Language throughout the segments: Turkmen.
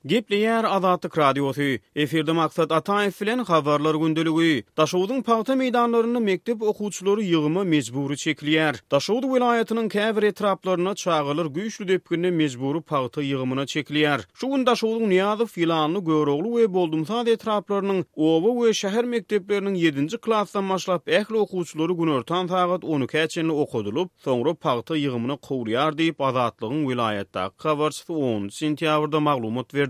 Gepleýär Azatlyk Radiosy. Efirde Maksat Ataýew bilen Habarlar gündeligi. Daşogzuň pagta meýdanlarynda mekdep okuwçylary ýygyma mejbury çekilýär. Daşoguz welaýatynyň käbir etraplarynda çagalar güýçli depginde mejbury pagta ýygymyna çekilýär. Şu gün Daşogzuň Nyýazow, Ýylanly, Görogly we Boldumsaz etraplarynyň oba we şäher mekdepleriniň ýedinji klasdan başlap ähli okuwçylary günortan sagat on ikä çenli okadylyp, soňra pagta ýygymyna kowulýar diýip, Azatlygyň welaýatdaky habarçysy onunjy sentýabrda maglumat berdi.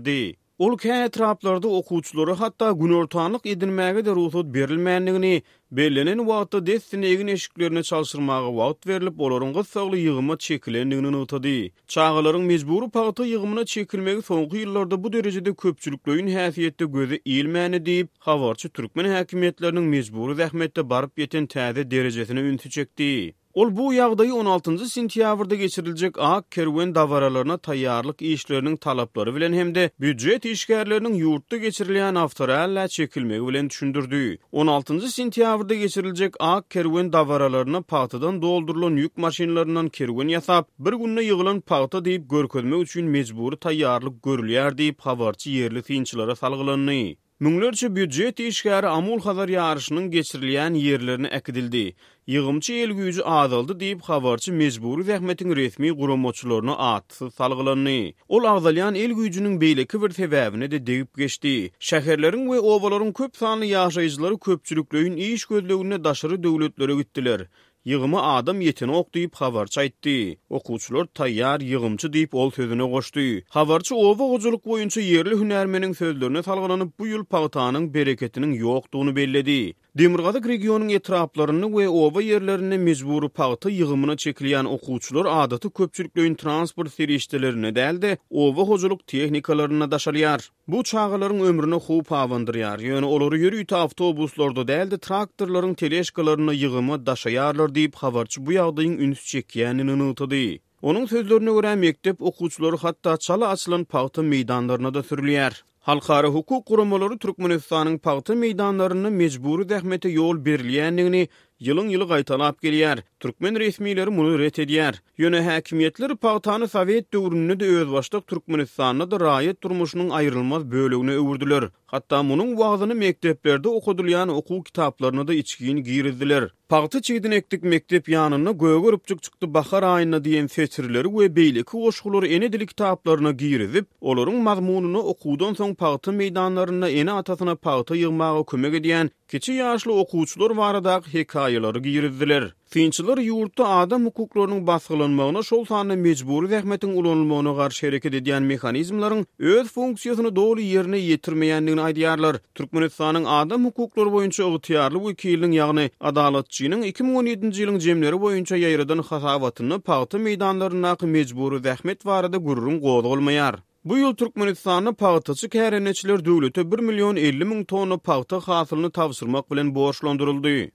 Ol kä etraplarda okuwçylara hatda günortanlyk edinmäge-de rugsat berilmändigini, bellenen wagtda dessine egin-eşiklerini çalşyrmaga wagt berlip, olaryň gyssagly ýygyma çekilendigini nygtady. Çagalaryň mejbury pagta ýygymyna çekilmegi soňky ýyllarda bu derejede köpçülikleýin häsiýetde göze ilmändi diýip, habarçy türkmen häkimiýetleriniň mejbury zähmetde baryp ýeten täze derejesine ünsi çekdi. Ol bu ýagdaýy on altynjy sentýabrda geçiriljek Ak kerwen dabaralaryna taýýarlyk işleriniň talaplary bilen hem-de býujet işgärleriniň ýurtda geçirilýän awtorallä çekilmegi bilen düşündirdi. On altynjy sentýabrda geçiriljek Ak kerwen dabaralaryna pagtadan doldurylan ýük maşynlaryndan kerwen ýasap, bir günde ýygylan pagta diýip görkezmek üçin mejbury taýýarlyk görülýär diýip, habarçy ýerli synçylara salgylandy. Müňlerçe býujet işgäri Amul-Hazar ýaryşynyň geçirilýän ýerlerine äkidildi. Ýygymçy el güýji azaldy diýip, habarçy mejbury zähmetiň resmi guramaçylaryna atsyz salgylandy. Ol agzalýan el güýjüniň beýleki bir sebäbine-de degip geçdi. Şäherleriň we obalaryň köp sanly ýaşaýjylary köpçülikleýin iş gözleginde daşary döwletlere gitdiler. Ýygyma adam ýetenok diýip, habarçy aýtdy. Okuwçylar taýýar, ýygymçy diýip, ol sözüne goşdy. Habarçy oba hojalyk boýunça ýerli hünärmeniň sözlerine salgylanyp, bu ýyl pagtanyň bereketiniň ýokdugyny belledi. Demirgazyk regionyň etraplarynda we oba ýerlerinde mejbury pagta ýygymyna çekilýän okuwçylar adaty köpçülikleýin transport serişdelerinde däl-de, oba hojalyk tehnikalarynda daşalýar. Bu çagalaryň ömrüne howp abandyrýar, ýöne olary ýörite awtobuslarda däl-de, traktorlaryň teležkalarynda ýygyma daşaýarlar diýip, habarçy bu ýagdaýyň üns çekýändigini nygtady. Onuň sözlerine görä, mekdep okuwçylary hatda çala açylan pagta meýdanlaryna-da sürülýär. Halkara hukuk guramalary Türkmenistanyň pagta meýdanlarynda mejbury zähmete ýol berilýändigini ýylyň-ýyly gaýtalap gelýär. Türkmen resmileri muny ret edýär. Ýöne häkimiýetler pagtany sowet döwründe-de özbaşdak Türkmenistanda-da raýat durmuşynyň aýrylmaz bölegine öwürdiler. Hatda munuň wagzyny mekdeplerde okadylýan okuw kitaplaryna-da içgin girizdiler. Pagta çigidini ekdik mekdep ýanynda, gögeripjik çykdy bahar aýynda diýen setirleri we beýleki goşgulary ene dili kitaplaryna girizip, olaryň mazmunyna okuwdan soň pagta meýdanlarynda ene-atasyna pagta ýygmaga kömek edýän kiçi ýaşly okuwçylar baradaky hekaýalary girizdiler. Synçylar ýurtda adam hukuklarynyň basgylanmagyna, şol sanda mejbury zähmetiň ulanylmagyna garşy hereket edýän mehanizmleriň öz funksiýasyny doly ýerine ýetirmeýändigini aýdýarlar. Türkmenistanyň adam hukuklary boýunça ygtyýarly wekiliniň, ýagny Adalatçynyň 2017-nji ýylyň jemleri boýunça ýaýradan hasabatynda pagta meýdanlaryndaky mejbury zähmet barada gürrüň gozgalmaýar. Bu ýyl Türkmenistanda pagtaçy kärendeçiler döwlete bir million 50 müň tonna pagta hasylyny tabşyrmak bilen borçlandyryldy.